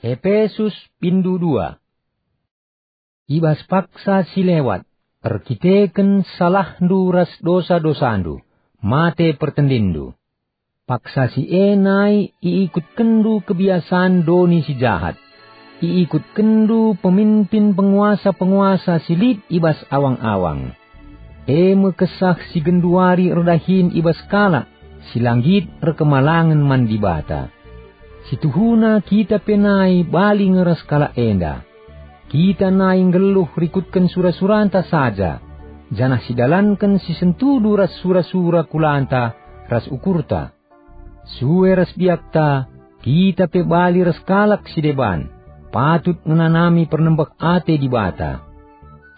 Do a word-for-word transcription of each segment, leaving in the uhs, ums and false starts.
Epesus, bindu dua. I bas paksa si lewat, erkiteken salahndu ras dosa-dosandu, mate pertendinndu. Paksa si e nai iikutkenndu kebiasan doni si jahat. Iikutkenndu peminpin penguasa-penguasa si lit i bas awang-awang. E me kesah si genduari erdahin i bas kalak si la nggit erkemalangen man Dibata. Situhuna kita pe nai bali nge ras kalak enda. Kita nai nggeluh rikutken sura-suranta saja, janah sidalanken si sentudu ras sura-sura kulanta ras ukurta. Sue ras biakta, kita pe bali ras kalak si deban, patut ngenanami pernembeh ate Dibata.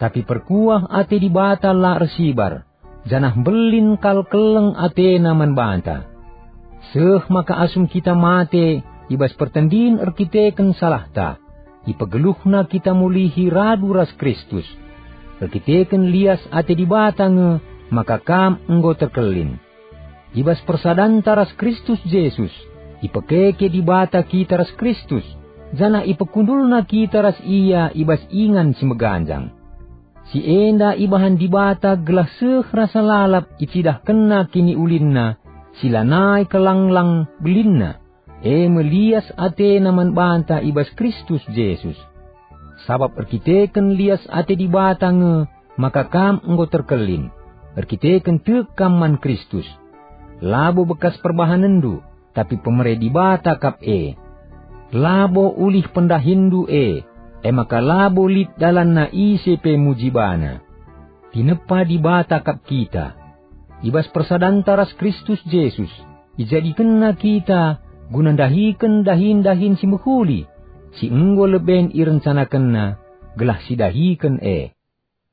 Tapi perkuah ate Dibata la ersibar, janah mbelin kal keleng atena man banta. Seh maka asum kita mate i bas pertendin erkiteken salahta, ipegeluhNa kita mulihi radu ras Kristus. Erkiteken lias ate Dibata nge maka kam enggo terkelin. I bas persadanta ras Kristus Jesus, ipekeke Dibata kita ras Kristus, janah ipekundulNa kita ras Ia i bas ingan si meganjang. Si enda ibahan Dibata gelah seh rasa lalap icidahkenNa kiniulinNa si lanai kelanglang belinna, e me lias ateNa man banta i bas Kristus Jesus. Sabap erkiteken lias ate Dibata nge maka kam enggo terkelin, erkiteken tek kam man Kristus. Labo bekas perbahanenndu, tapi pemere Dibata kap e. Labo ulih pendahinndu e, e maka labo lit dalanna ise pe muji bana. Tinepa Dibata kap kita. I bas persadanta ras Kristus Jesus, ijadikenNa kita guna ndahiken dahin-dahin si mehuli, si enggo leben irencanakenNa, gelah sidahiken e.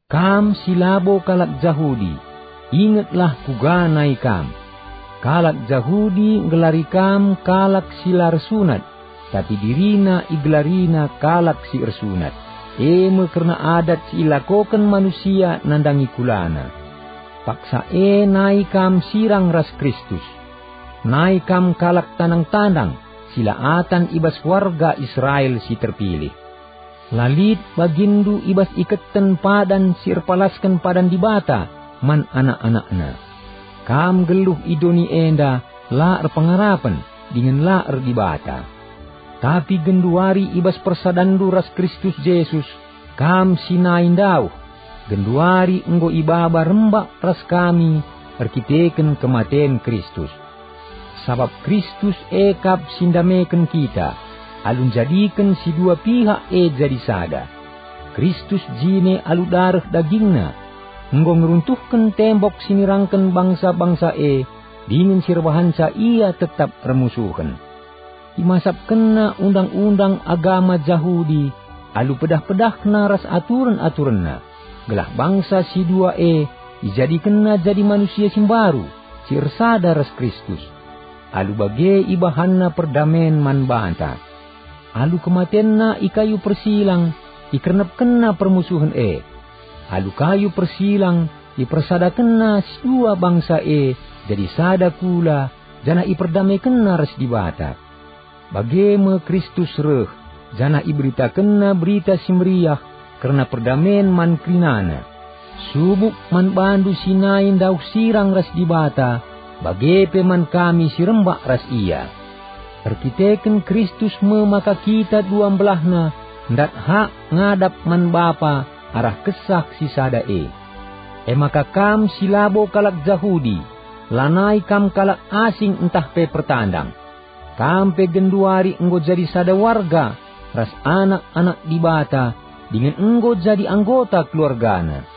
Kam si labo kalak Jahudi, ingetlah kuga nai kam. Kalak Jahudi nggelari kam kalak si la ersunat, tapi dirina igelarina kalak si ersunat, e me kerna adat si ilakoken manusia nandangi kulana. Paksa e nai kam sirang ras Kristus. Nai kam kalak tandang-tandang, si la atan i bas warga Israel si terpilih. La lit baginndu i bas iketen padan si erpalasken padan Dibata man anak-anakna. Kam nggeluh i doni enda la erpengarapen dingen la erdibata. Tapi genduari i bas persadanndu ras Kristus Jesus, kam si nai ndauh, genduari enggo ibaba rembak ras kami erkiteken kematen Kristus. Sabap Kristus e kap si ndameken kita, alu njadiken si dua pihak e jadi sada. Kristus jine alu dareh dagingNa, enggo ngeruntuhken tembok si nirangken bangsa-bangsa e dingen si erbahanca ia tetap ermusuhen. ImasapkenNa undang-undang agama Jahudi alu pedah-pedahna ras aturen-aturenna, gelah bangsa si dua e ijadikenNa jadi manusia si mbaru, si ersada ras Kristus. Alu bage ibahanNa perdamen man banta. Alu kematenNa i kayu persilang, ikernepkenNa permusuhen e. Alu kayu persilang, ipersadakenNa si dua bangsa e jadi sada kula, janah iperdamekenNa ras Dibata. Bage me Kristus reh, janah iberitakenNa Berita Si Meriah kerna perdamen man kerinana. Subuk man bandu si nai ndauh sirang ras Dibata, bage pe man kami si rembak ras Ia. Erkiteken Kristus me maka kita dua mbelahna ndat hak ngadap man Bapa arah Kesah si sada e. E maka kam si labo kalak Jahudi, lanai kam kalak asing ntah pe pertandang. Kam pe genduari enggo jadi sada warga ras anak-anak Dibata dingen enggo jadi anggota keluargaNa.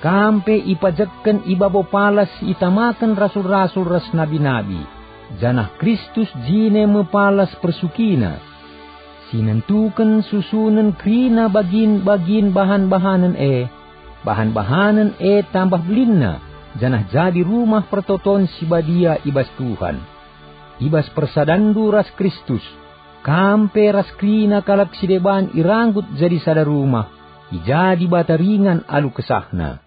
Kam pe ipajekken i babo palas si itamaken rasul-rasul ras nabi-nabi, janah Kristus jine me palas persukina. Si nentuken susunen kerina bagin-bagin bahan-bahanen e, bahan-bahanen e tambah belinna, janah jadi rumah pertoton si badia i bas Tuhan. I bas persadanndu ras Kristus, kam pe ras kerina kalak si deban iranggut jadi sada rumah, i ja Dibata ringan alu kesahNa.